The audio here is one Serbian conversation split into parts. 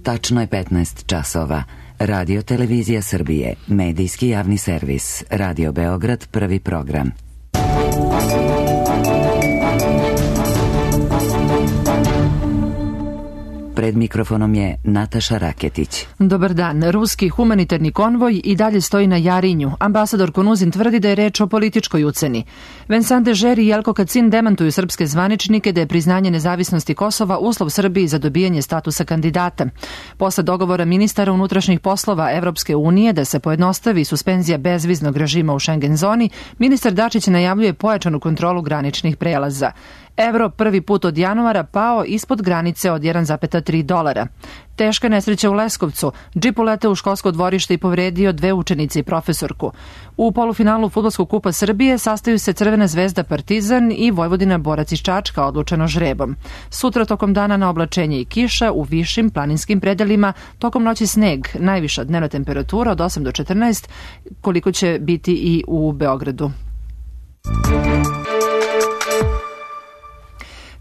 Tačno je 15 časova. Radio Televizija Srbije, medijski javni servis, Radio Beograd, prvi program. Pred mikrofonom je Nataša Raketić. Dobar dan. Ruski humanitarni konvoj i dalje stoji na Jarinju. Ambasador Konuzin tvrdi da je reč o političkoj uceni. Vincent Dežer i Jelko Kacin demantuju srpske zvaničnike da je priznanje nezavisnosti Kosova uslov Srbiji za dobijanje statusa kandidata. Posle dogovora ministara unutrašnjih poslova Evropske unije da se pojednostavi suspenzija bezviznog režima u Schengen zoni, ministar Dačić najavljuje pojačanu kontrolu graničnih prelaza. Evro prvi put od januara pao ispod granice od $1,3. Teška nesreća u Leskovcu. Džip uleteo u školsko dvorište i povredio 2 učenice i profesorku. U polufinalu Fudbalskog kupa Srbije sastaju se Crvena zvezda Partizan i Vojvodina Borac iz Čačka odlučeno žrebom. Sutra tokom dana na oblačenje i kiša u višim planinskim predelima, tokom noći sneg, najviša dnevna temperatura od 8 do 14, koliko će biti i u Beogradu.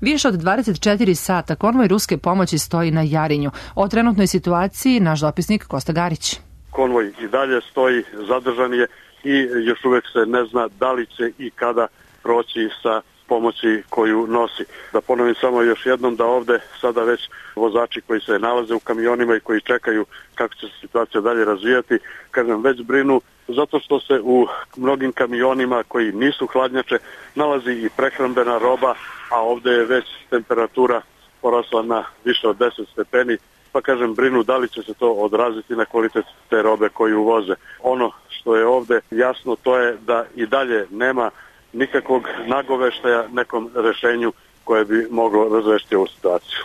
Više od 24 sata konvoj ruske pomoći stoji na Jarinju. O trenutnoj situaciji naš dopisnik Kosta Garić. Konvoj i dalje stoji, zadržan je i još uvek se ne zna da li će i kada proći sa pomoći koju nosi. Da ponovim samo još jednom da ovde sada već vozači koji se nalaze u kamionima i koji čekaju kako će se situacija dalje razvijati, kažem, već brinu zato što se u mnogim kamionima koji nisu hladnjače nalazi i prehrambena roba, a ovde je već temperatura porasla na više od 10 stepeni, pa kažem, brinu da li će se to odraziti na kvalitet te robe koju uvoze. Ono što je ovde jasno to je da i dalje nema nikakvog nagoveštaja nekom rešenju koje bi moglo razrešiti ovu situaciju.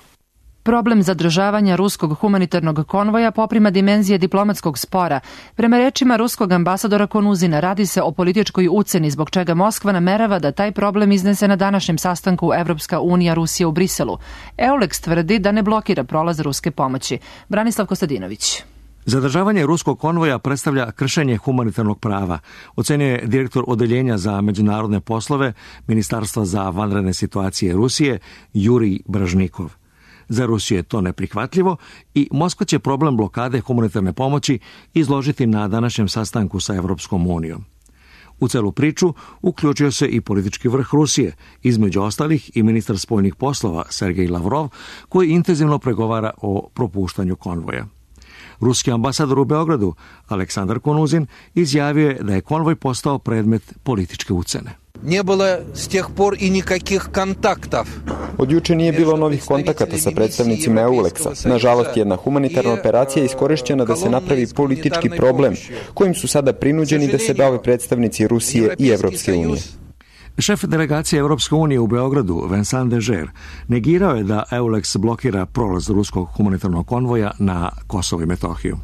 Problem zadržavanja ruskog humanitarnog konvoja poprima dimenzije diplomatskog spora. Prema rečima ruskog ambasadora Konuzina radi se o političkoj uceni zbog čega Moskva namerava da taj problem iznese na današnjem sastanku Evropska unija Rusija u Briselu. EULEX tvrdi da ne blokira prolaz ruske pomoći. Branislav Kostadinović. Zadržavanje ruskog konvoja predstavlja kršenje humanitarnog prava, ocenjuje direktor Odeljenja za međunarodne poslove Ministarstva za vanredne situacije Rusije Jurij Bražnikov. Za Rusiju je to neprihvatljivo i Moskva će problem blokade humanitarne pomoći izložiti na današnjem sastanku sa Evropskom unijom. U celu priču uključio se i politički vrh Rusije, između ostalih i ministar spoljnih poslova Sergej Lavrov, koji intenzivno pregovara o propuštanju konvoja. Ruski ambasador u Beogradu, Aleksandar Konuzin, izjavio je da je konvoj postao predmet političke ucene. Не было с тех пор и никаких контактов. Od juče nije bilo novih kontakata sa predstavnicima EULEX-a. Nažalost, jedna humanitarna operacija je iskorišćena da se napravi politički problem, kojim su sada prinuđeni da se bave predstavnici Rusije i Evropske unije. Šef delegacije Evropske unije u Beogradu, Vincent Dežer, negirao je da EULEX blokira prolaz ruskog humanitarnog konvoja na Kosovo i Metohiju.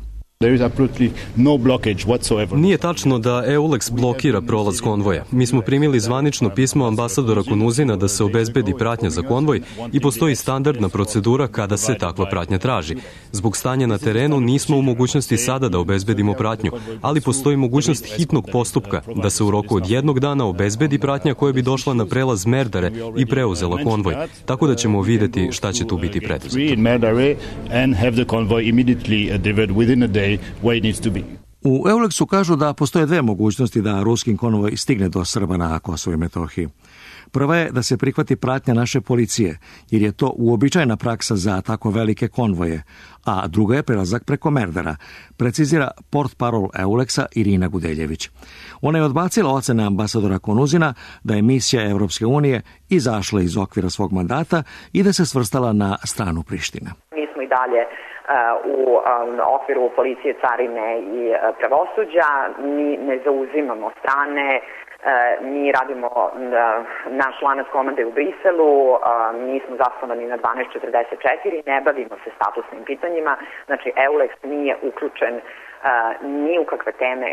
Nije tačno da EULEX blokira prolaz konvoja. Mi smo primili zvanično pismo ambasadora Konuzina da se obezbedi pratnja za konvoj i postoji standardna procedura kada se takva pratnja traži. Zbog stanja na terenu nismo u mogućnosti sada da obezbedimo pratnju, ali postoji mogućnost hitnog postupka da se u roku od 1 dana obezbedi pratnja koja bi došla na prelaz Merdare i preuzela konvoj. Tako da ćemo videti šta će tu biti preduzeto. U EULEX-u kažu da postoje 2 mogućnosti da ruski konvoj stigne do Srba na Kosovo i Metohiji. Prva je da se prihvati pratnja naše policije, jer je to uobičajena praksa za tako velike konvoje, a druga je prelazak preko Merdara, precizira portparol EULEX-a Irina Gudeljević. Ona je odbacila ocene ambasadora Konuzina da je misija Evropske unije izašla iz okvira svog mandata i da se svrstala na stranu Prištine. Mi smo i dalje u okviru policije, carine i pravosuđa. Mi ne zauzimamo strane, mi radimo naš lanac komande u Briselu, mi smo zasnovani na 1244, ne bavimo se statusnim pitanjima, znači EULEX nije uključen ni u kakve teme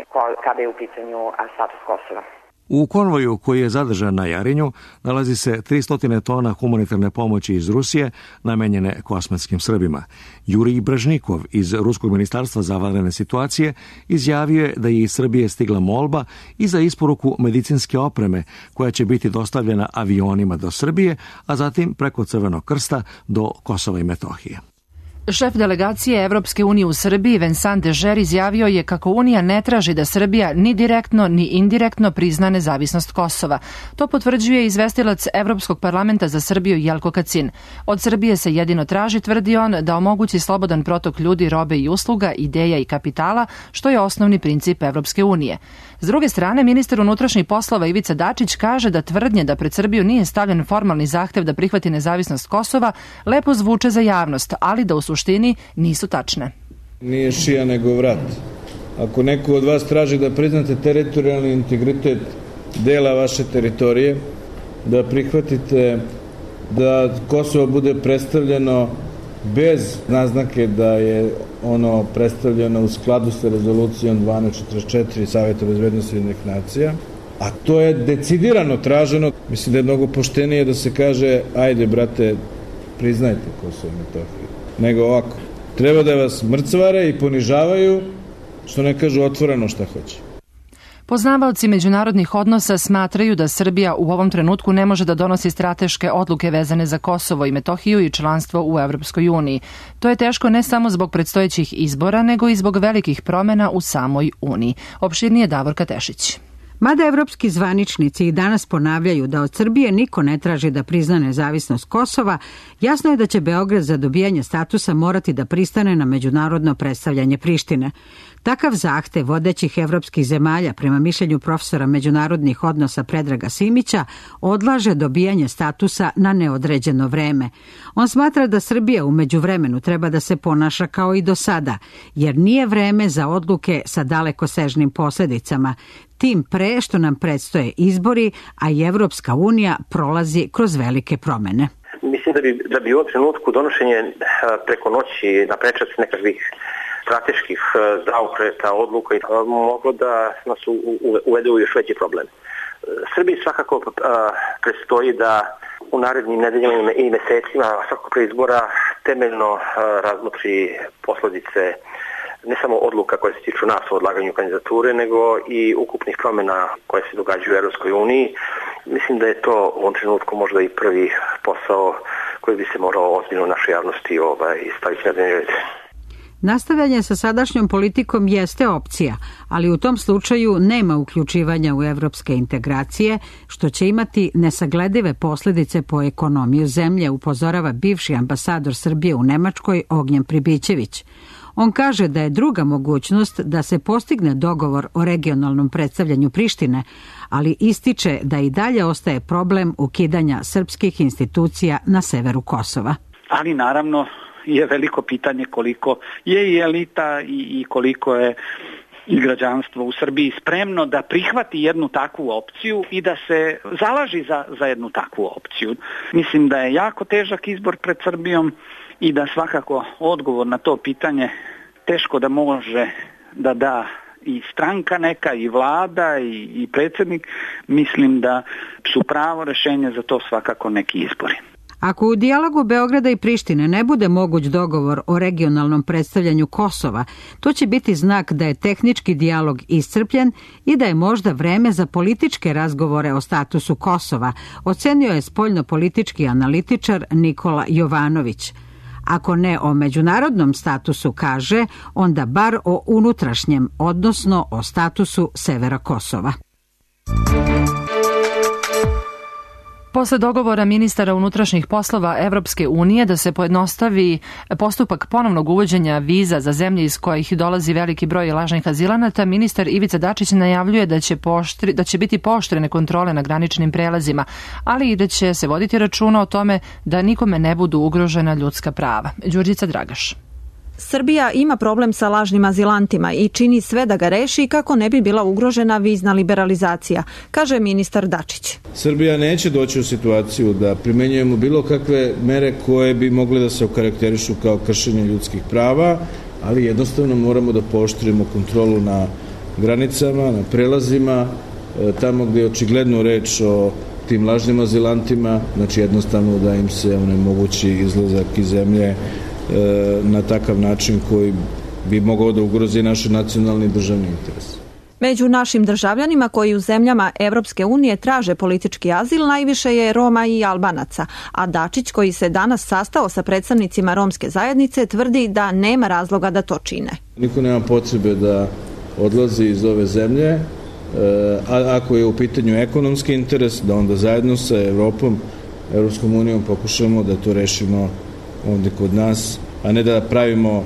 kada je u pitanju status Kosova. U konvoju koji je zadržan na Jarinju nalazi se 300 tona humanitarne pomoći iz Rusije namenjene kosmetskim Srbima. Jurij Bražnikov iz Ruskog ministarstva za vanredne situacije izjavio je da je iz Srbije stigla molba i za isporuku medicinske opreme koja će biti dostavljena avionima do Srbije, a zatim preko Crvenog krsta do Kosova i Metohije. Šef delegacije Evropske unije u Srbiji Vincent Dežer izjavio je kako Unija ne traži da Srbija ni direktno ni indirektno prizna nezavisnost Kosova. To potvrđuje izvestilac Evropskog parlamenta za Srbiju Jelko Kacin. Od Srbije se jedino traži, tvrdi on, da omogući slobodan protok ljudi, robe i usluga, ideja i kapitala, što je osnovni princip Evropske unije. S druge strane, ministar unutrašnjih poslova Ivica Dačić kaže da tvrdnje da pred Srbiju nije stavljen formalni zahtev da prihvati nezavisnost Kosova lepo zvuče za javnost, ali da u suštini nisu tačne. Nije šija nego vrat. Ako neko od vas traži da priznate teritorijalni integritet dela vaše teritorije, da prihvatite da Kosovo bude predstavljeno bez naznake da je ono predstavljeno u skladu sa rezolucijom 1244 Saveta bezbednosti Ujedinjenih nacija, a to je decidirano traženo. Mislim da je mnogo poštenije da se kaže ajde brate, priznajte Kosovo i Metohiju, nego ovako. Treba da vas mrcvare i ponižavaju, što ne kažu otvoreno šta hoće. Poznavaoci međunarodnih odnosa smatraju da Srbija u ovom trenutku ne može da donosi strateške odluke vezane za Kosovo i Metohiju i članstvo u Evropskoj uniji. To je teško ne samo zbog predstojećih izbora, nego i zbog velikih promena u samoj Uniji. Opširnije Davorka Tešić. Mada evropski zvaničnici i danas ponavljaju da od Srbije niko ne traži da prizna nezavisnost Kosova, jasno je da će Beograd za dobijanje statusa morati da pristane na međunarodno predstavljanje Prištine. Takav zahtev vodećih evropskih zemalja, prema mišljenju profesora međunarodnih odnosa Predraga Simića, odlaže dobijanje statusa na neodređeno vreme. On smatra da Srbija u međuvremenu treba da se ponaša kao i do sada, jer nije vreme za odluke sa dalekosežnim posledicama, tim pre što nam predstoje izbori, a i Evropska unija prolazi kroz velike promene. Mislim da bi u ovom trenutku donošenje preko noći na prečac nekakvih strateških zaokreta odluka moglo da nas uvede u još veći problem. Srbiji svakako predstoji da u narednim nedeljama i mesecima, svakako pre izbora, temeljno razmotri posledice ne samo odluka koje se tiču nas o odlaganju kandidature, nego i ukupnih promjena koje se događaju u Evropskoj uniji. Mislim da je to u ovom trenutku možda i prvi posao koji bi se morao ozbiljno u našoj javnosti staviti na dnevni red. Nastavljanje sa sadašnjom politikom jeste opcija, ali u tom slučaju nema uključivanja u evropske integracije, što će imati nesagledive posljedice po ekonomiju zemlje, upozorava bivši ambasador Srbije u Nemačkoj Ognjen Pribićević. On kaže da je druga mogućnost da se postigne dogovor o regionalnom predstavljanju Prištine, ali ističe da i dalje ostaje problem ukidanja srpskih institucija na severu Kosova. Ali naravno je veliko pitanje koliko je i elita i koliko je i građanstvo u Srbiji spremno da prihvati jednu takvu opciju i da se zalaži za jednu takvu opciju. Mislim da je jako težak izbor pred Srbijom i da svakako odgovor na to pitanje teško da može da da i stranka neka, i vlada, i predsjednik. Mislim da su pravo rešenje za to svakako neki izbori. Ako u dijalogu Beograda i Prištine ne bude moguć dogovor o regionalnom predstavljanju Kosova, to će biti znak da je tehnički dijalog iscrpljen i da je možda vreme za političke razgovore o statusu Kosova, ocenio je spoljnopolitički analitičar Nikola Jovanović. Ako ne o međunarodnom statusu kaže, onda bar o unutrašnjem, odnosno o statusu severa Kosova. Posle dogovora ministara unutrašnjih poslova Evropske unije da se pojednostavi postupak ponovnog uvođenja viza za zemlje iz kojih dolazi veliki broj lažnih azilanata, ministar Ivica Dačić najavljuje da će biti pooštrene kontrole na graničnim prelazima, ali i da će se voditi računa o tome da nikome ne budu ugrožena ljudska prava. Đurđica Dragaš. Srbija ima problem sa lažnim azilantima i čini sve da ga reši kako ne bi bila ugrožena vizna liberalizacija, kaže ministar Dačić. Srbija neće doći u situaciju da primenjujemo bilo kakve mere koje bi mogle da se okarakterišu kao kršenje ljudskih prava, ali jednostavno moramo da pooštrimo kontrolu na granicama, na prelazima, tamo gdje je očigledno reč o tim lažnim azilantima, znači jednostavno da im se onemogući izlazak iz zemlje na takav način koji bi mogao da ugrozi naš nacionalni i državni interes. Među našim državljanima koji u zemljama Evropske unije traže politički azil najviše je Roma i Albanaca, a Dačić, koji se danas sastao sa predstavnicima romske zajednice, tvrdi da nema razloga da to čine. Niko nema potrebe da odlazi iz ove zemlje, a ako je u pitanju ekonomski interes, da onda zajedno sa Evropom, Evropskom unijom pokušamo da to rešimo ovde kod nas, a ne da pravimo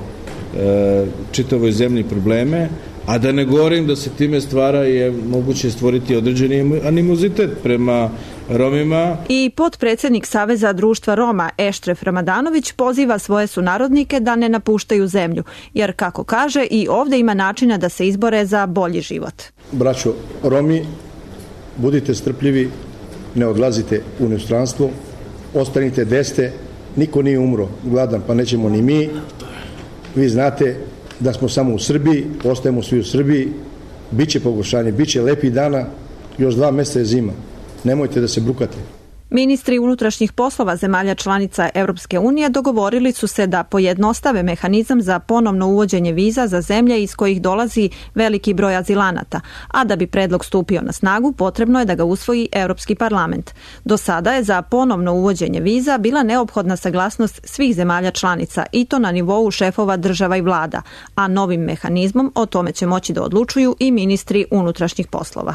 čitavoj zemlji probleme, a da ne govorim da se time stvara je moguće stvoriti određeni animozitet prema Romima. I potpredsednik Saveza društva Roma Eštref Ramadanović poziva svoje sunarodnike da ne napuštaju zemlju, jer kako kaže i ovde ima načina da se izbore za bolji život. Braćo Romi, budite strpljivi, ne odlazite u inostranstvo, ostanite gde ste, niko nije umro gladan, pa nećemo ni mi. Vi znate da smo samo u Srbiji, ostajemo svi u Srbiji, biće pogoršanje, biće lepih dana, još 2 meseca je zima. Nemojte da se brukate. Ministri unutrašnjih poslova zemalja članica Evropske unije dogovorili su se da pojednostave mehanizam za ponovno uvođenje viza za zemlje iz kojih dolazi veliki broj azilanata, a da bi predlog stupio na snagu potrebno je da ga usvoji Evropski parlament. Do sada je za ponovno uvođenje viza bila neophodna saglasnost svih zemalja članica i to na nivou šefova država i vlada, a novim mehanizmom o tome će moći da odlučuju i ministri unutrašnjih poslova.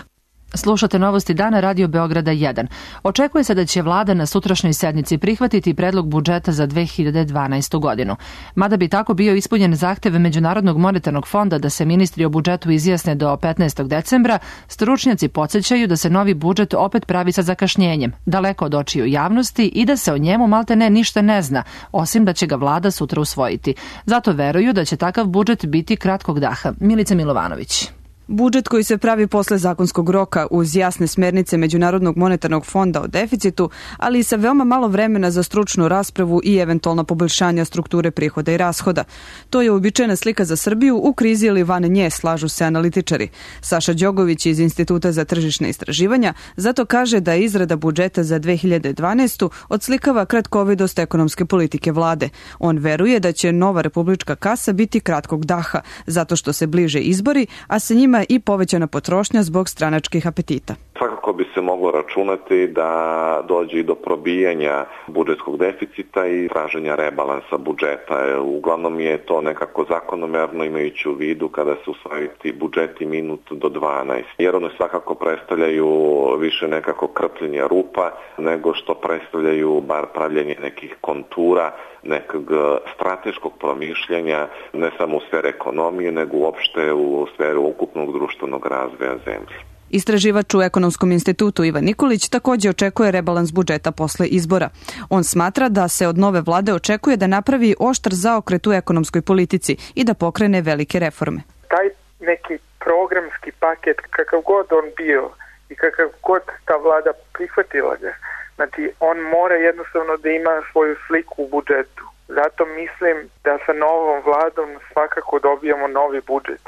Slušate Novosti dana Radio Beograda 1. Očekuje se da će vlada na sutrašnjoj sednici prihvatiti predlog budžeta za 2012. godinu. Mada bi tako bio ispunjen zahtev Međunarodnog monetarnog fonda da se ministri o budžetu izjasne do 15. decembra, stručnjaci podsjećaju da se novi budžet opet pravi sa zakašnjenjem, daleko od očiju javnosti i da se o njemu maltene ništa ne zna, osim da će ga vlada sutra usvojiti. Zato veruju da će takav budžet biti kratkog daha. Milica Milovanović. Budžet koji se pravi posle zakonskog roka uz jasne smernice Međunarodnog monetarnog fonda o deficitu, ali i sa veoma malo vremena za stručnu raspravu i eventualna poboljšanja strukture prihoda i rashoda. To je uobičajena slika za Srbiju u krizi ili van nje, slažu se analitičari. Saša Đogović iz Instituta za tržišne istraživanja zato kaže da izrada budžeta za 2012. odslikava kratkovidost ekonomske politike vlade. On veruje da će nova republička kasa biti kratkog daha, zato što se bliže izbori, a sa njima i povećana potrošnja zbog stranačkih apetita. Svakako bi se moglo računati da dođe i do probijanja budžetskog deficita i traženja rebalansa budžeta. Uglavnom je to nekako zakonomerno imajući u vidu kada se usvajaju ti budžeti minut do 12. Jer one svakako predstavljaju više nekako krpljenje rupa nego što predstavljaju bar pravljenje nekih kontura, nekog strateškog promišljanja, ne samo u sferi ekonomije, nego uopšte u sferi ukupnog društvenog razvoja zemlje. Istraživač u Ekonomskom institutu Ivan Nikolić također očekuje rebalans budžeta posle izbora. On smatra da se od nove vlade očekuje da napravi oštar zaokret u ekonomskoj politici i da pokrene velike reforme. Taj neki programski paket, kakav god on bio i kakav god ta vlada prihvatila ga, znači on mora jednostavno da ima svoju sliku u budžetu. Zato mislim da sa novom vladom svakako dobijamo novi budžet.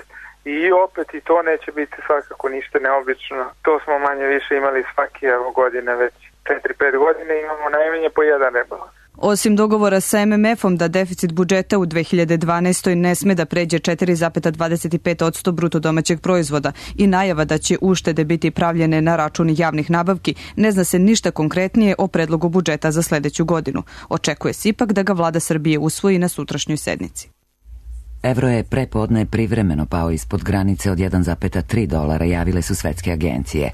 I opet i to neće biti svakako ništa neobično. To smo manje više imali svake godine, već 4-5 godine imamo najmanje po jedan rebalans. Osim dogovora sa MMF-om da deficit budžeta u 2012. ne sme da pređe 4,25% bruto domaćeg proizvoda i najava da će uštede biti pravljene na račun javnih nabavki, ne zna se ništa konkretnije o predlogu budžeta za sledeću godinu. Očekuje se ipak da ga vlada Srbije usvoji na sutrašnjoj sednici. Evro je prepodne privremeno pao ispod granice od $1,3, javile su svetske agencije.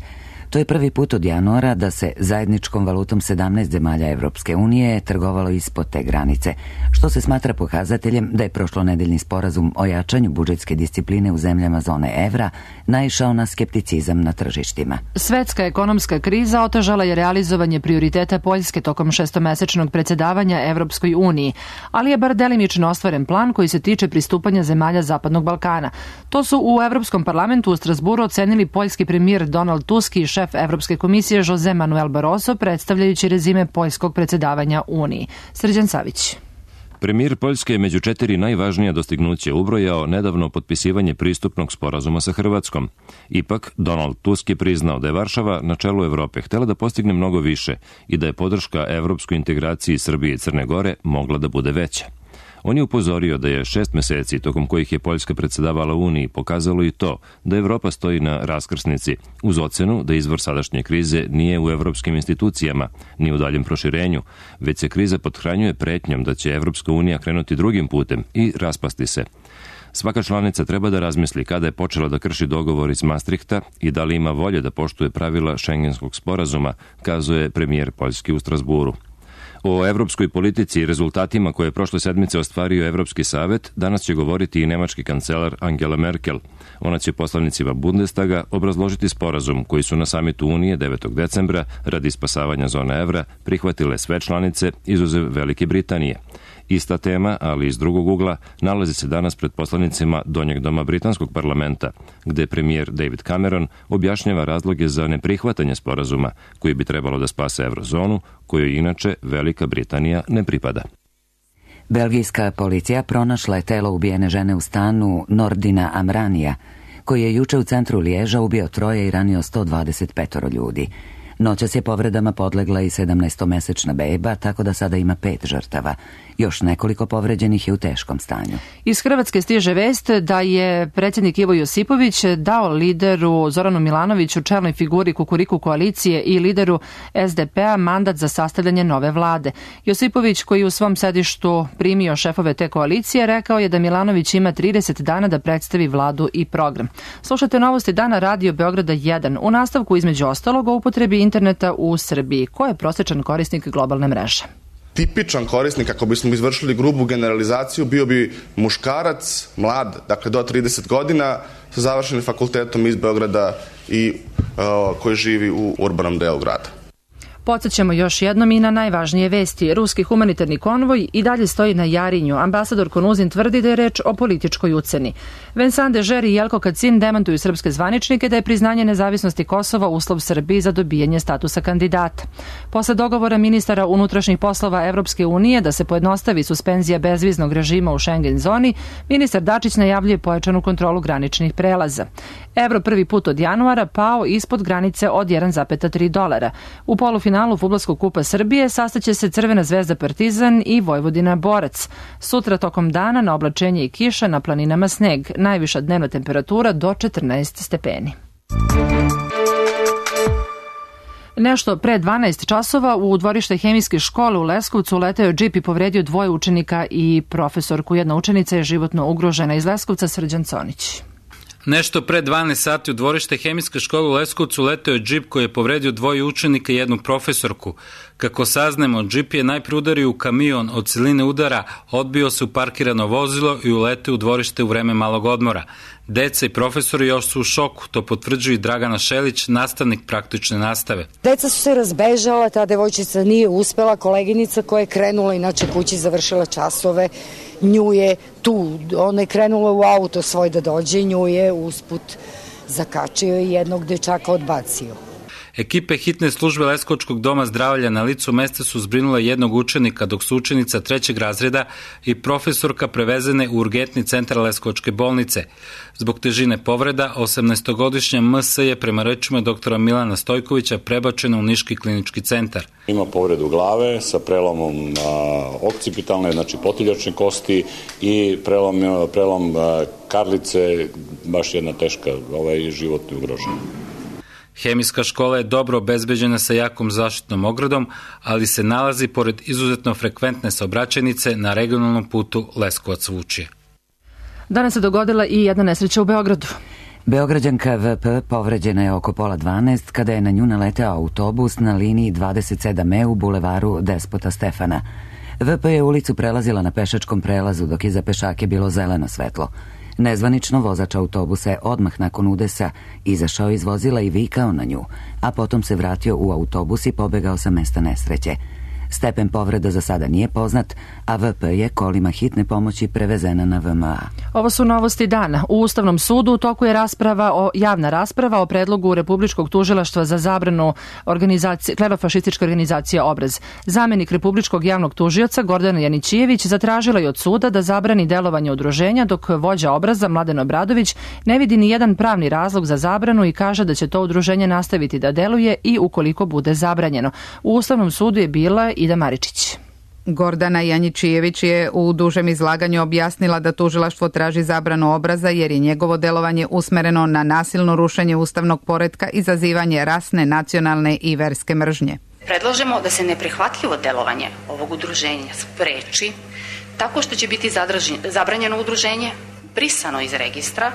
To je prvi put od januara da se zajedničkom valutom 17 zemalja Evropske unije trgovalo ispod te granice, što se smatra pokazateljem da je prošlonedeljni sporazum o jačanju budžetske discipline u zemljama zone evra naišao na skepticizam na tržištima. Svetska ekonomska kriza otežala je realizovanje prioriteta Poljske tokom 6-mesečnog predsjedavanja Evropskoj uniji, ali je bar delimično ostvaren plan koji se tiče pristupanja zemalja Zapadnog Balkana. To su u Evropskom parlamentu u Strasburu ocenili poljski premijer Donald Tusk i šef Evropske komisije Jose Manuel Barroso, predstavljajući rezime poljskog predsjedavanja Uniji. Srđan Savić. Premijer Poljske je među 4 najvažnija dostignuća ubrojao nedavno potpisivanje pristupnog sporazuma sa Hrvatskom. Ipak, Donald Tusk je priznao da je Varšava na čelu Evrope htela da postigne mnogo više i da je podrška evropskoj integraciji Srbije i Crne Gore mogla da bude veća. On je upozorio da je 6 meseci tokom kojih je Poljska predsedavala Uniji pokazalo i to da Evropa stoji na raskrsnici, uz ocenu da izvor sadašnje krize nije u evropskim institucijama, ni u daljem proširenju, već se kriza pothranjuje pretnjom da će Evropska unija krenuti drugim putem i raspasti se. Svaka članica treba da razmisli kada je počela da krši dogovor iz Maastrichta i da li ima volje da poštuje pravila Schengenskog sporazuma, kazuje premijer Poljski u Strasburu. O evropskoj politici i rezultatima koje je prošle sedmice ostvario Evropski savet danas će govoriti i nemački kancelar Angela Merkel. Ona će poslanicima Bundestaga obrazložiti sporazum koji su na samitu Unije 9. decembra radi spasavanja zone evra prihvatile sve članice izuzev Velike Britanije. Ista tema, ali iz drugog ugla, nalazi se danas pred poslanicima Donjeg doma Britanskog parlamenta, gde premijer David Cameron objašnjava razloge za neprihvatanje sporazuma koji bi trebalo da spase eurozonu, kojoj inače Velika Britanija ne pripada. Belgijska policija pronašla je telo ubijene žene u stanu Nordina Amranija, koji je juče u centru Liježa ubio 3 i ranio 125 ljudi. Noćas je povredama podlegla i 17-mesečna beba, tako da sada ima 5 žrtava. Još nekoliko povređenih je u teškom stanju. Iz Hrvatske stiže vest da je predsjednik Ivo Josipović dao lideru Zoranu Milanoviću, čelnoj figuri Kukuriku koalicije i lideru SDP-a, mandat za sastavljanje nove vlade. Josipović, koji u svom sedištu primio šefove te koalicije, rekao je da Milanović ima 30 dana da predstavi vladu i program. Slušate novosti dana Radio Beograda 1. U nastavku između ostalog o upotrebi interneta u Srbiji. Ko je prosječan korisnik globalne mreže? Tipičan korisnik, ako bismo izvršili grubu generalizaciju, bio bi muškarac, mlad, dakle do 30 godina, sa završenim fakultetom iz Beograda i koji živi u urbanom delu grada. Podsjećamo još jednom i na najvažnije vesti. Ruski humanitarni konvoj i dalje stoji na Jarinju. Ambasador Konuzin tvrdi da je reč o političkoj uceni. Vincent Dežer i Jelko Kacin demantuju srpske zvaničnike da je priznanje nezavisnosti Kosova uslov Srbiji za dobijanje statusa kandidata. Posle dogovora ministara unutrašnjih poslova Evropske unije da se pojednostavi suspenzija bezviznog režima u Schengen zoni, ministar Dačić najavljuje pojačanu kontrolu graničnih prelaza. Evro prvi put od januara pao ispod granice od $1,3. U polufinalu Fudbalskog kupa Srbije sastaće se Crvena zvezda Partizan i Vojvodina Borac. Sutra tokom dana na oblačenje i kiša, na planinama sneg. Najviša dnevna temperatura do 14 stepeni. Nešto pre 12 časova u dvorište hemijske škole u Leskovcu uleteo je džip i povredio 2 učenika i profesorku. Jedna učenica je životno ugrožena. Iz Leskovca Srđan Conić. Nešto pre 12 sati u dvorište hemijske škole u Leskovcu leteo je džip koji je povredio 2 učenika i jednu profesorku. Kako saznemo, džip je najpre udario u kamion, od siline udara odbio se u parkirano vozilo i uleteo u dvorište u vreme malog odmora. Deca i profesori još su u šoku, to potvrđuje Dragana Šelić, nastavnik praktične nastave. Deca su se razbežala, ta devojčica nije uspela, koleginica koja je krenula inače kući, završila časove, nju je tu, ona je krenula u auto svoj da dođe, nju je usput zakačio i jednog dečaka odbacio. Ekipe hitne službe Leskovačkog doma zdravlja na licu mesta su zbrinule jednog učenika, dok su učenica 3. razreda i profesorka prevezene u urgentni centar Leskovačke bolnice. Zbog težine povreda, 18-godišnja MS je prema rečima doktora Milana Stojkovića prebačena u Niški klinički centar. Ima povredu glave sa prelomom okcipitalne, znači potiljačne kosti i prelom karlice, baš jedna teška, životno ugrožena. Hemijska škola je dobro obezbeđena sa jakom zaštitnom ogradom, ali se nalazi pored izuzetno frekventne saobraćajnice na regionalnom putu Leskovac-Vučje. Danas se dogodila i jedna nesreća u Beogradu. Beograđanka VP povređena je oko 11:30 kada je na nju naleteo autobus na liniji 27E u bulevaru Despota Stefana. VP je ulicu prelazila na pešačkom prelazu dok je za pešake bilo zeleno svetlo. Nezvanično vozač autobusa je odmah nakon udesa izašao iz vozila i vikao na nju, a potom se vratio u autobus i pobegao sa mesta nesreće. Stepen povreda za sada nije poznat, a VP je kolima hitne pomoći prevezena na VMA. Ovo su novosti dana. U Ustavnom sudu u toku je javna rasprava o predlogu Republičkog tužilaštva za zabranu klerofašističke organizacije Obraz. Zamenik Republičkog javnog tužioca Gordana Janićijević zatražila je od suda da zabrani delovanje udruženja, dok vođa Obraza Mladen Obradović ne vidi ni jedan pravni razlog za zabranu i kaže da će to udruženje nastaviti da deluje i ukoliko bude zabranjeno. U Ustavnom sudu je bila Ida Maričić. Gordana Janjičijević je u dužem izlaganju objasnila da tužilaštvo traži zabranu obraza jer je njegovo delovanje usmereno na nasilno rušenje ustavnog poretka i izazivanje rasne, nacionalne i verske mržnje. Predlažemo da se neprihvatljivo delovanje ovog udruženja spreči tako što će biti zabranjeno udruženje, brisano iz registra,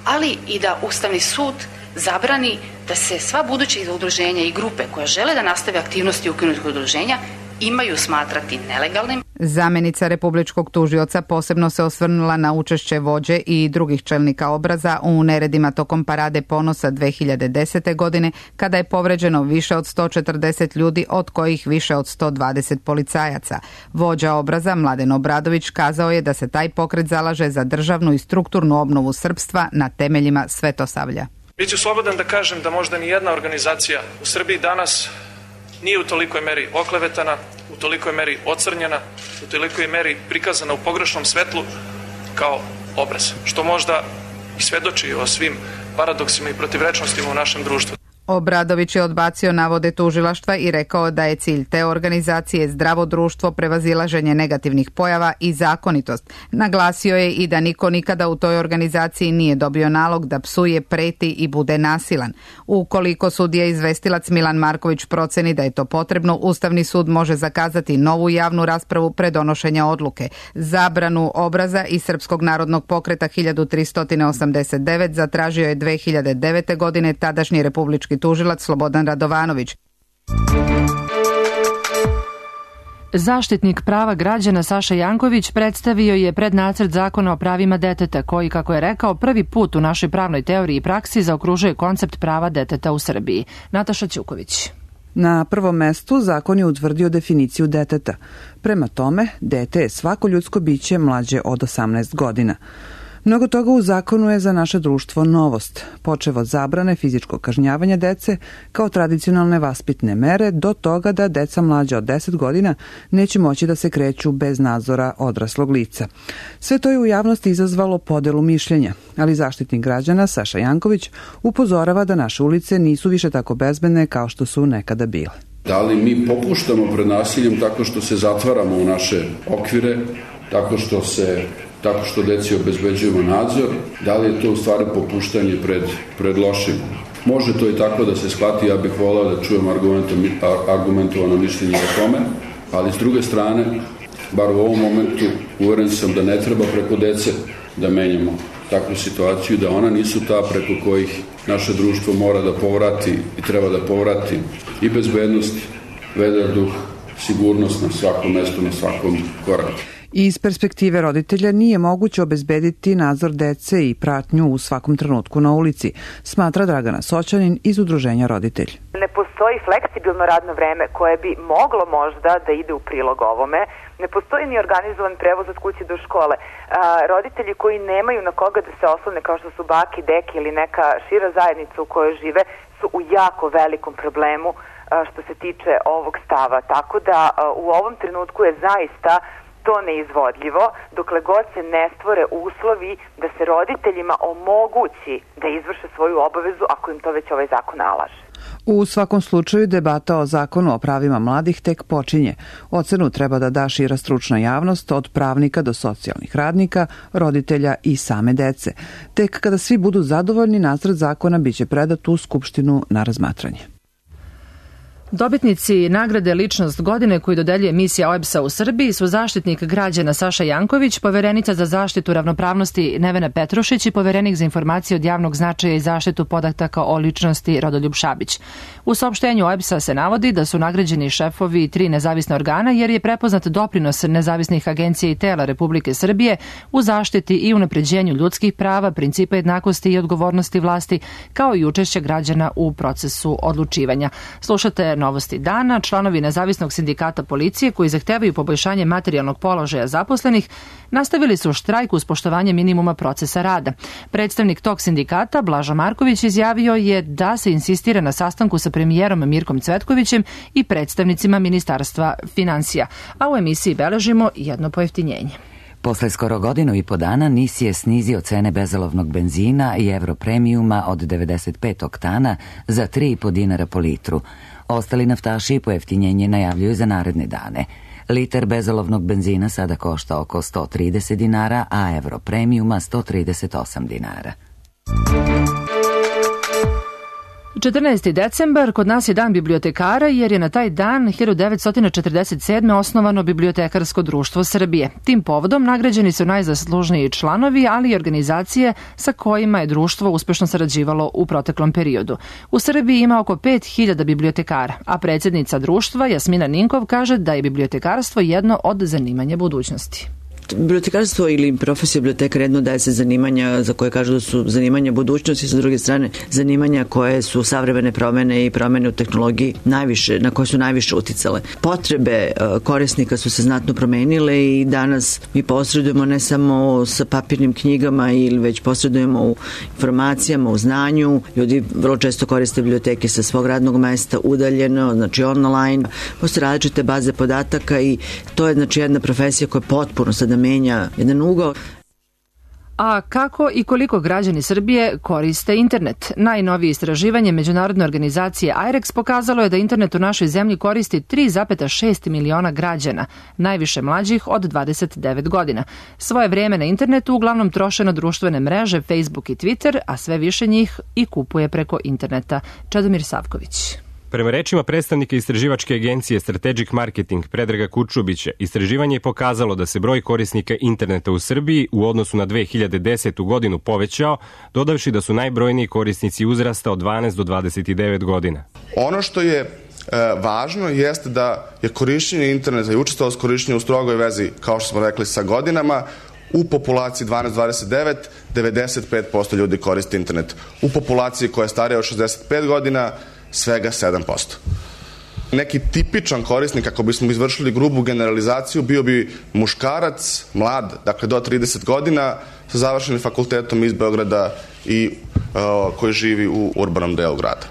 ali i da Ustavni sud zabrani da se sva buduća udruženja i grupe koje žele da nastave aktivnosti ukinutih udruženja imaju smatrati nelegalnim. Zamenica republičkog tužioca posebno se osvrnula na učešće vođe i drugih čelnika obraza u neredima tokom Parade ponosa 2010. godine, kada je povređeno više od 140 ljudi, od kojih više od 120 policajaca. Vođa obraza Mladen Obradović kazao je da se taj pokret zalaže za državnu i strukturnu obnovu srpstva na temeljima svetosavlja. Biću slobodan da kažem da možda ni jedna organizacija u Srbiji danas nije u tolikoj meri oklevetana, u tolikoj meri ocrnjena, u tolikoj meri prikazana u pogrešnom svetlu kao obraz, što možda i svedoči o svim paradoksima i protivrečnostima u našem društvu. Obradović je odbacio navode tužilaštva i rekao da je cilj te organizacije zdravo društvo, prevazilaženje negativnih pojava i zakonitost. Naglasio je i da niko nikada u toj organizaciji nije dobio nalog da psuje, preti i bude nasilan. Ukoliko sudija izvestilac Milan Marković proceni da je to potrebno, Ustavni sud može zakazati novu javnu raspravu pre donošenja odluke. Zabranu obraza i Srpskog narodnog pokreta 1389 zatražio je 2009. godine tadašnji republički tužilac Slobodan Radovanović. Zaštitnik prava građana Saša Janković predstavio je prednacrt zakona o pravima deteta koji, kako je rekao, prvi put u našoj pravnoj teoriji i praksi zaokružuje koncept prava deteta u Srbiji. Nataša Ćuković. Na prvom mestu zakon je utvrdio definiciju deteta. Prema tome, dete je svako ljudsko biće mlađe od 18 godina. Mnogo toga u zakonu je za naše društvo novost, počev od zabrane fizičkog kažnjavanja dece kao tradicionalne vaspitne mere do toga da deca mlađa od 10 godina neće moći da se kreću bez nadzora odraslog lica. Sve to je u javnosti izazvalo podelu mišljenja, ali Zaštitnik građana Saša Janković upozorava da naše ulice nisu više tako bezbedne kao što su nekada bile. Da li mi popuštamo pred nasiljem tako što se zatvaramo u naše okvire, tako što deci obezbeđujemo nadzor, da li je to u stvari popuštanje pred lošim? Može to i tako da se shvati, ja bih volao da čujem argumentovano mišljenje o tome, ali s druge strane, bar u ovom momentu, uveren sam da ne treba preko dece da menjamo takvu situaciju, da ona nisu ta preko kojih naše društvo mora da povrati i treba da povrati i bezbednost, vedar duh, sigurnost na svakom mestu, na svakom koraku. Iz perspektive roditelja nije moguće obezbediti nadzor dece i pratnju u svakom trenutku na ulici, smatra Dragana Soćanin iz Udruženja Roditelj. Ne postoji fleksibilno radno vreme koje bi moglo možda da ide u prilog ovome. Ne postoji ni organizovan prevoz od kuće do škole. Roditelji koji nemaju na koga da se oslone, kao što su baki, deki ili neka šira zajednica u kojoj žive, su u jako velikom problemu što se tiče ovog stava. Tako da u ovom trenutku je zaista to neizvodljivo, dokle god se ne stvore uslovi da se roditeljima omogući da izvrše svoju obavezu ako im to već ovaj zakon nalaže. U svakom slučaju debata o zakonu o pravima mladih tek počinje. Ocenu treba da da šira stručna javnost od pravnika do socijalnih radnika, roditelja i same dece. Tek kada svi budu zadovoljni, nacrt zakona biće predat u Skupštinu na razmatranje. Dobitnici nagrade Ličnost godine koju dodeljuje misija OEBS-a u Srbiji su Zaštitnik građana Saša Janković, Poverenica za zaštitu ravnopravnosti Nevena Petrušić i Poverenik za informacije od javnog značaja i zaštitu podataka o ličnosti Rodoljub Šabić. U saopštenju OEBS-a se navodi da su nagrađeni šefovi 3 nezavisna organa jer je prepoznat doprinos nezavisnih agencija i tela Republike Srbije u zaštiti i unapređenju ljudskih prava, principa jednakosti i odgovornosti vlasti, kao i učešće građana u procesu odlučivanja. Slušate Novosti dana. Članovi Nezavisnog sindikata policije koji zahtevaju poboljšanje materijalnog položaja zaposlenih nastavili su štrajk uz poštovanje minimuma procesa rada. Predstavnik tog sindikata, Blaža Marković, izjavio je da se insistira na sastanku sa premijerom Mirkom Cvetkovićem i predstavnicima Ministarstva finansija. A u emisiji beležimo jedno pojeftinjenje. Posle skoro godinu i po dana NIS je snizio cene bezolovnog benzina i Europremijuma od 95 oktana za 3,5 dinara po litru. Ostali naftaši pojeftinjenje najavljuju za naredne dane. Liter bezolovnog benzina sada košta oko 130 dinara, a Euro premiuma 138 dinara. 14. decembar kod nas je dan bibliotekara jer je na taj dan 1947. osnovano Bibliotekarsko društvo Srbije. Tim povodom nagrađeni su najzaslužniji članovi, ali i organizacije sa kojima je društvo uspešno sarađivalo u proteklom periodu. U Srbiji ima oko 5000 bibliotekara, a predsjednica društva Jasmina Ninkov kaže da je bibliotekarstvo jedno od zanimanja budućnosti. Bibliotekarstvo ili profesija bibliotekara jedno daje se zanimanja za koje kažu da su zanimanja budućnosti, sa druge strane zanimanja koje su savremene promene i promene u tehnologiji na koje su najviše uticale. Potrebe korisnika su se znatno promenile i danas mi posredujemo ne samo sa papirnim knjigama ili već posredujemo u informacijama, u znanju. Ljudi vrlo često koriste biblioteke sa svog radnog mesta udaljeno, znači online. Postoje različite baze podataka i to je znači jedna profesija koja potpuno sada menja jedan ugao. A kako i koliko građani Srbije koriste internet? Najnovije istraživanje međunarodne organizacije IREX pokazalo je da internet u našoj zemlji koristi 3,6 miliona građana, najviše mlađih od 29 godina. Svoje vreme na internetu uglavnom troše na društvene mreže Facebook i Twitter, a sve više njih i kupuje preko interneta. Čedomir Savković. Prema rečima predstavnika istraživačke agencije Strategic Marketing Predraga Kurčubića, istraživanje je pokazalo da se broj korisnika interneta u Srbiji u odnosu na 2010. godinu povećao, dodavši da su najbrojniji korisnici uzrasta od 12 do 29 godina. Ono što je važno jeste da je korišćenje interneta i učestalost korišćenja u strogoj vezi, kao što smo rekli, sa godinama. U populaciji 12-29, 95% ljudi koriste internet. U populaciji koja je starija od 65 godina, svega 7%. Neki tipičan korisnik, ako bismo izvršili grubu generalizaciju, bio bi muškarac, mlad, dakle do 30 godina, sa završenim fakultetom iz Beograda i koji živi u urbanom delu grada.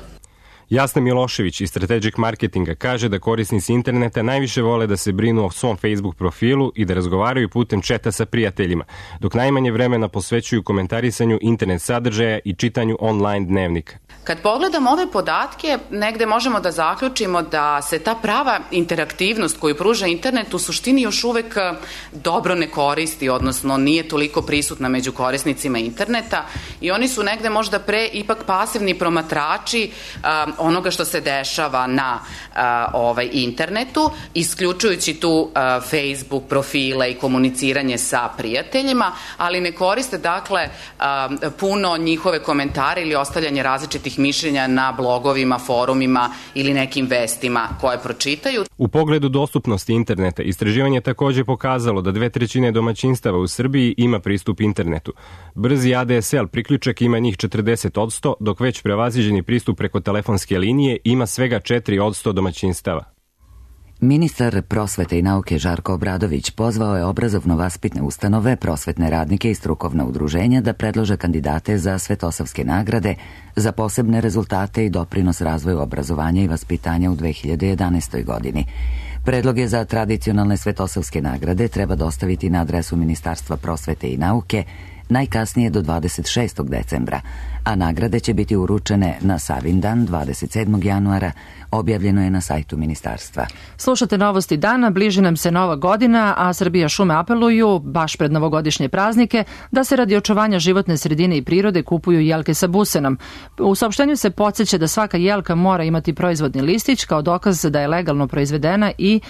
Jasna Milošević iz Strategic Marketinga kaže da korisnici interneta najviše vole da se brinu o svom Facebook profilu i da razgovaraju putem četa sa prijateljima, dok najmanje vremena posvećuju komentarisanju internet sadržaja i čitanju online dnevnika. Kad pogledamo ove podatke, negde možemo da zaključimo da se ta prava interaktivnost koju pruža internet u suštini još uvek dobro ne koristi, odnosno nije toliko prisutna među korisnicima interneta i oni su negde možda pre ipak pasivni promatrači onoga što se dešava na internetu, isključujući tu Facebook profile i komuniciranje sa prijateljima, ali ne koriste dakle puno njihove komentare ili ostavljanje različitih mišljenja na blogovima, forumima ili nekim vestima koje pročitaju. U pogledu dostupnosti interneta, istraživanje je takođe pokazalo da 2/3 domaćinstava u Srbiji ima pristup internetu. Brzi ADSL priključak ima njih 40%, dok već prevaziđeni pristup preko telefonske linije ima svega 4% domaćinstava. Ministar prosvete i nauke Žarko Obradović pozvao je obrazovno-vaspitne ustanove, prosvetne radnike i strukovna udruženja da predlože kandidate za Svetosavske nagrade za posebne rezultate i doprinos razvoju obrazovanja i vaspitanja u 2011. godini. Predloge za tradicionalne Svetosavske nagrade treba dostaviti na adresu Ministarstva prosvete i nauke najkasnije do 26. decembra, a nagrade će biti uručene na Savindan 27. januara, objavljeno je na sajtu ministarstva. Slušate novosti dana, bliži nam se Nova godina, a Srbija šume apeluju, baš pred novogodišnje praznike, da se radi očuvanja životne sredine i prirode kupuju jelke sa busenom. U saopštenju se podsjeća da svaka jelka mora imati proizvodni listić kao dokaz da je legalno proizvedena i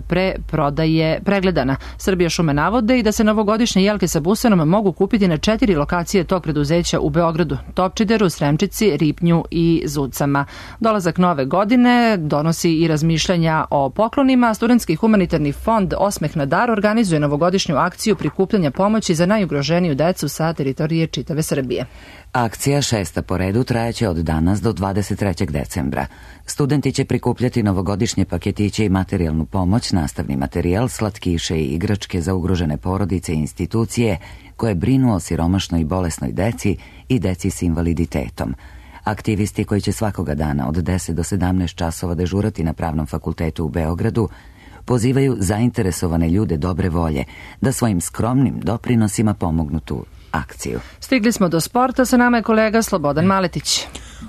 pre prodaje pregledana. Srbija šume navode i da se novogodišnje jelke sa busenom mogu kupiti na 4 lokacije tog preduzeća u Beogradu, Topčideru, Sremčici, Ripnju i Zucama. Dolazak nove godine donosi i razmišljanja o poklonima. Studentski humanitarni fond Osmeh na dar organizuje novogodišnju akciju prikupljanja pomoći za najugroženiju decu sa teritorije čitave Srbije. Akcija 6. po redu trajaće od danas do 23. decembra. Studenti će prikupljati novogodišnje paketiće i materijalnu pomoć, nastavni materijal, slatkiše i igračke za ugrožene porodice i institucije koje brinu o siromašnoj i bolesnoj deci i deci s invaliditetom. Aktivisti koji će svakoga dana od 10 do 17 časova dežurati na Pravnom fakultetu u Beogradu pozivaju zainteresovane ljude dobre volje da svojim skromnim doprinosima pomognu tu akciju. Stigli smo do sporta, sa nama je kolega Slobodan Maletić.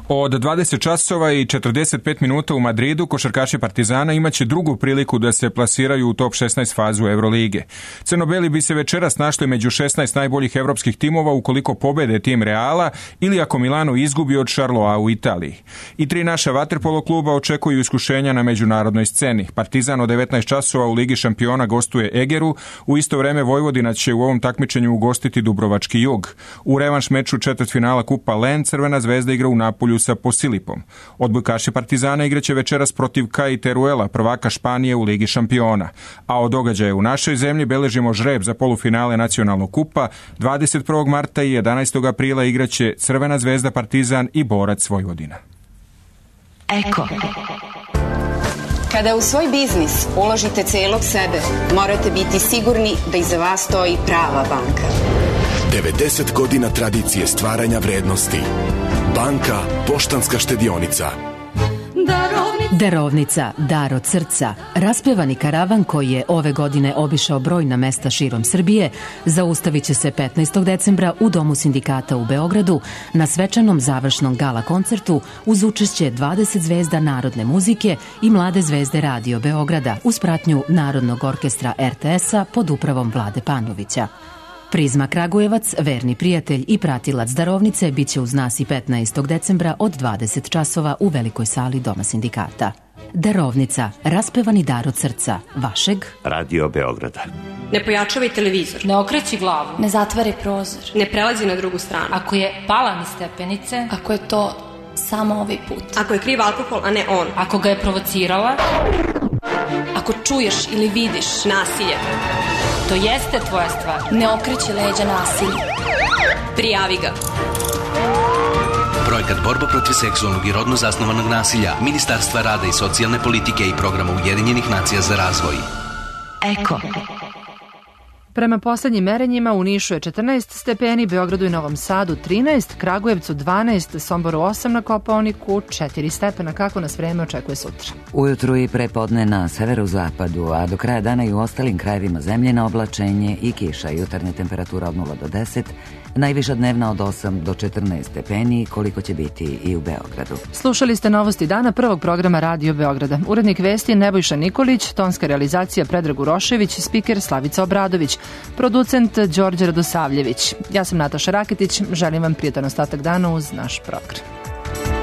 Od 20 časova i 45 minuta u Madridu košarkaši Partizana imaće drugu priliku da se plasiraju u top 16 fazu Evrolige. Crnobeli bi se večeras našli među 16 najboljih evropskih timova ukoliko pobede tim Reala ili ako Milano izgubi od Charloa u Italiji. I 3 naša vaterpolo kluba očekuju iskušenja na međunarodnoj sceni. Partizan od 19 časova u Ligi šampiona gostuje Egeru, u isto vreme Vojvodina će u ovom takmičenju ugostiti Dubrovački Jug. U revanš meču četvrtfinala Kupa Len Crvena zvezda igra u Napolju sa Posilipom. Odbojkaši Partizana igraće večeras protiv Kai Teruela, prvaka Španije u Ligi šampiona. A od događaja u našoj zemlji beležimo žreb za polufinale nacionalnog kupa. 21. marta i 11. aprila igraće Crvena zvezda Partizan i Borac Vojvodina. Eko. Kada u svoj biznis uložite celog sebe, morate biti sigurni da iza vas stoji prava banka. 90 godina tradicije stvaranja vrednosti. Banka Poštanska štedionica. Darovnica, dar od srca. Raspevani karavan koji je ove godine obišao brojna mesta širom Srbije zaustavit će se 15. decembra u Domu sindikata u Beogradu na svečanom završnom gala koncertu uz učešće 20 zvezda narodne muzike i mlade zvezde Radio Beograda uz pratnju Narodnog orkestra RTS-a pod upravom Vlade Panovića. Prizma Kragujevac, verni prijatelj i pratilac darovnice, bit će uz nas i 15. decembra od 20 časova u velikoj sali Doma sindikata. Darovnica, raspevani dar od srca, vašeg Radio Beograda. Ne pojačavaj televizor. Ne okreći glavu. Ne zatvaraj prozor. Ne prelazi na drugu stranu. Ako je pala niz stepenice. Ako je to samo ovaj put. Ako je kriv alkohol, a ne on. Ako ga je provocirala. Ako čuješ ili vidiš nasilje. To jeste tvoja stvar. Ne okreći leđa nasilju. Prijavi ga. Projekat Borba protiv seksualnog i rodno zasnovanog nasilja Ministarstva rada i socijalne politike i programa Ujedinjenih nacija za razvoj. Eko. Prema poslednjim merenjima u Nišu je 14 stepeni, Beogradu i Novom Sadu 13, Kragujevcu 12, Somboru 8, na Kopaoniku 4 stepena. Kako nas vreme očekuje sutra? Ujutru i prepodne na severozapadu, a do kraja dana i u ostalim krajevima zemlje na oblačenje i kiša. Jutarnja temperatura od 0 do 10, najviša dnevna od 8 do 14 stepeni, koliko će biti i u Beogradu. Slušali ste novosti dana prvog programa Radio Beograda. Urednik vesti Nebojša Nikolić, tonska realizacija Predrag Urošević, spiker Slavica Obradović, producent Đorđe Radosavljević. Ja sam Nataša Raketić, želim vam prijatan ostatak dana uz naš program.